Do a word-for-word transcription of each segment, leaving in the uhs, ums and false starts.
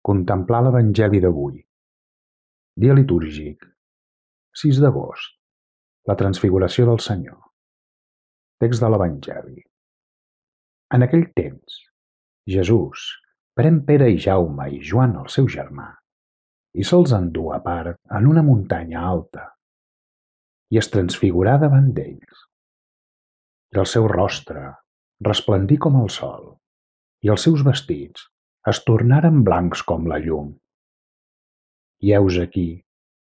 Contemplar l'Evangeli d'avui. Dia litúrgic. sis d'agost. La transfiguració del Senyor. Text de l'Evangeli. En aquell temps, Jesús pren Pere i Jaume i Joan, el seu germà, i se'ls endú a part en una muntanya alta, i es transfigurà davant d'ells. I el seu rostre resplendí com el sol, i els seus vestits es tornaren blancs com la llum. I heus aquí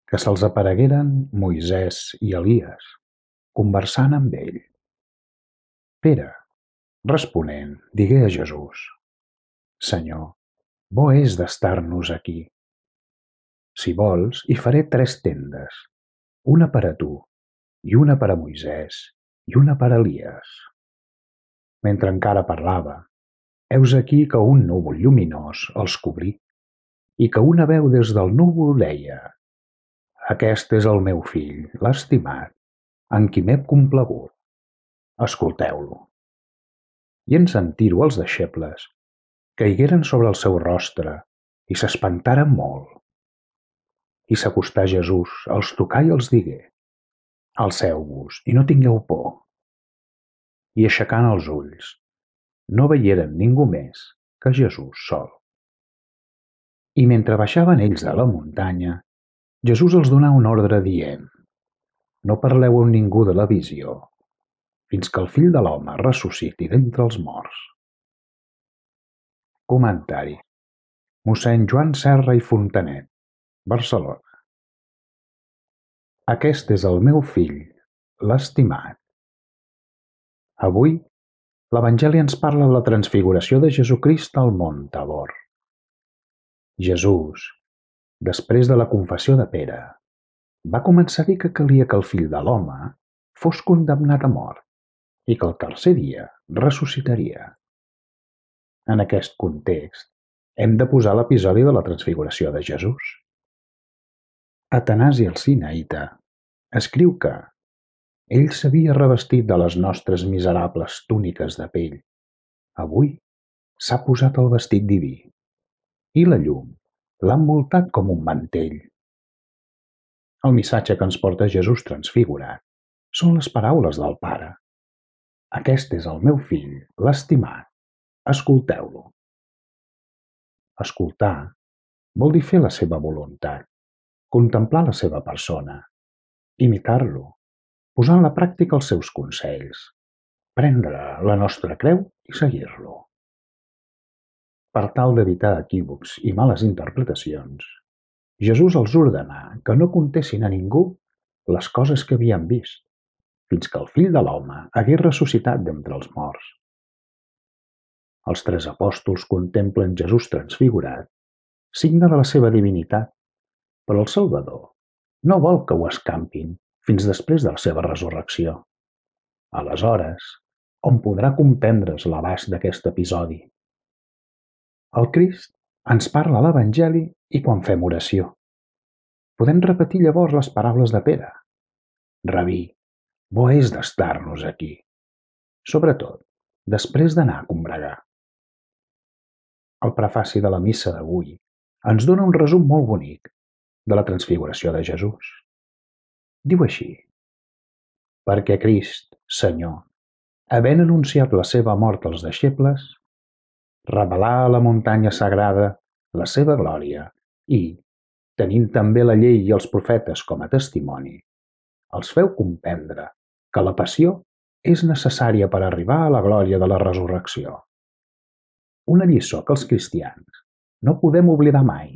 que se'ls aparegueren Moisès i Elies, conversant amb ell. Pere, responent, digué a Jesús: Senyor, bo és d'estar-nos aquí. Si vols, hi faré tres tendes, una per a tu, i una per a Moisès, i una per a Elies. Mentre encara parlava, heus aquí que un núvol lluminós els cobrí, i que una veu des del núvol deia: Aquest és el meu fill, l'estimat, en qui m'he complagut. Escolteu-lo. I en sentir-ho els deixebles caigueren sobre el seu rostre i s'espantaren molt. I s'acostà Jesús, els tocà i els digué: Alceu-vos i no tingueu por. I aixecant els ulls, no veieren ningú més que Jesús sol. I mentre baixaven ells de la muntanya, Jesús els donà un ordre dient: No parleu amb ningú de la visió, fins que el Fill de l'Home ressusciti d'entre els morts. Comentari. Mossèn Joan Serra i Fontanet, Barcelona. Aquest és el meu fill, l'estimat. Avui, l'Evangeli ens parla de la transfiguració de Jesucrist al Mont Tabor. Jesús, després de la confessió de Pere, va començar a dir que calia que el Fill de l'Home fos condemnat a mort i que el tercer dia ressuscitaria. En aquest context, hem de posar l'episodi de la transfiguració de Jesús. Atanasi el Sinaïta escriu que ell s'havia revestit de les nostres miserables túniques de pell. Avui s'ha posat el vestit diví i la llum l'ha envoltat com un mantell. El missatge que ens porta Jesús transfigurat són les paraules del Pare. Aquest és el meu fill, l'estimat. Escolteu-lo. Escoltar vol dir fer la seva voluntat, contemplar la seva persona, imitar-lo, posar en la pràctica els seus consells, prendre la nostra creu i seguir-lo. Per tal d'evitar equívocs i males interpretacions, Jesús els ordenà que no contessin a ningú les coses que havien vist, fins que el Fill de l'Home hagués ressuscitat d'entre els morts. Els tres apòstols contemplen Jesús transfigurat, signe de la seva divinitat, però el Salvador no vol que ho escampin fins després de la seva resurrecció. Aleshores, on podrà comprendre's l'abast d'aquest episodi? El Crist ens parla a l'Evangeli i quan fem oració. Podem repetir llavors les paraules de Pere. Rabí, bo és d'estar-nos aquí, sobretot després d'anar a combregar. El prefaci de la missa d'avui ens dona un resum molt bonic de la transfiguració de Jesús. Diu així: Perquè Crist, Senyor, havent anunciat la seva mort als deixebles, revelà a la muntanya sagrada la seva glòria i, tenint també la llei i els profetes com a testimoni, els feu comprendre que la passió és necessària per arribar a la glòria de la resurrecció. Una lliçó que els cristians no podem oblidar mai.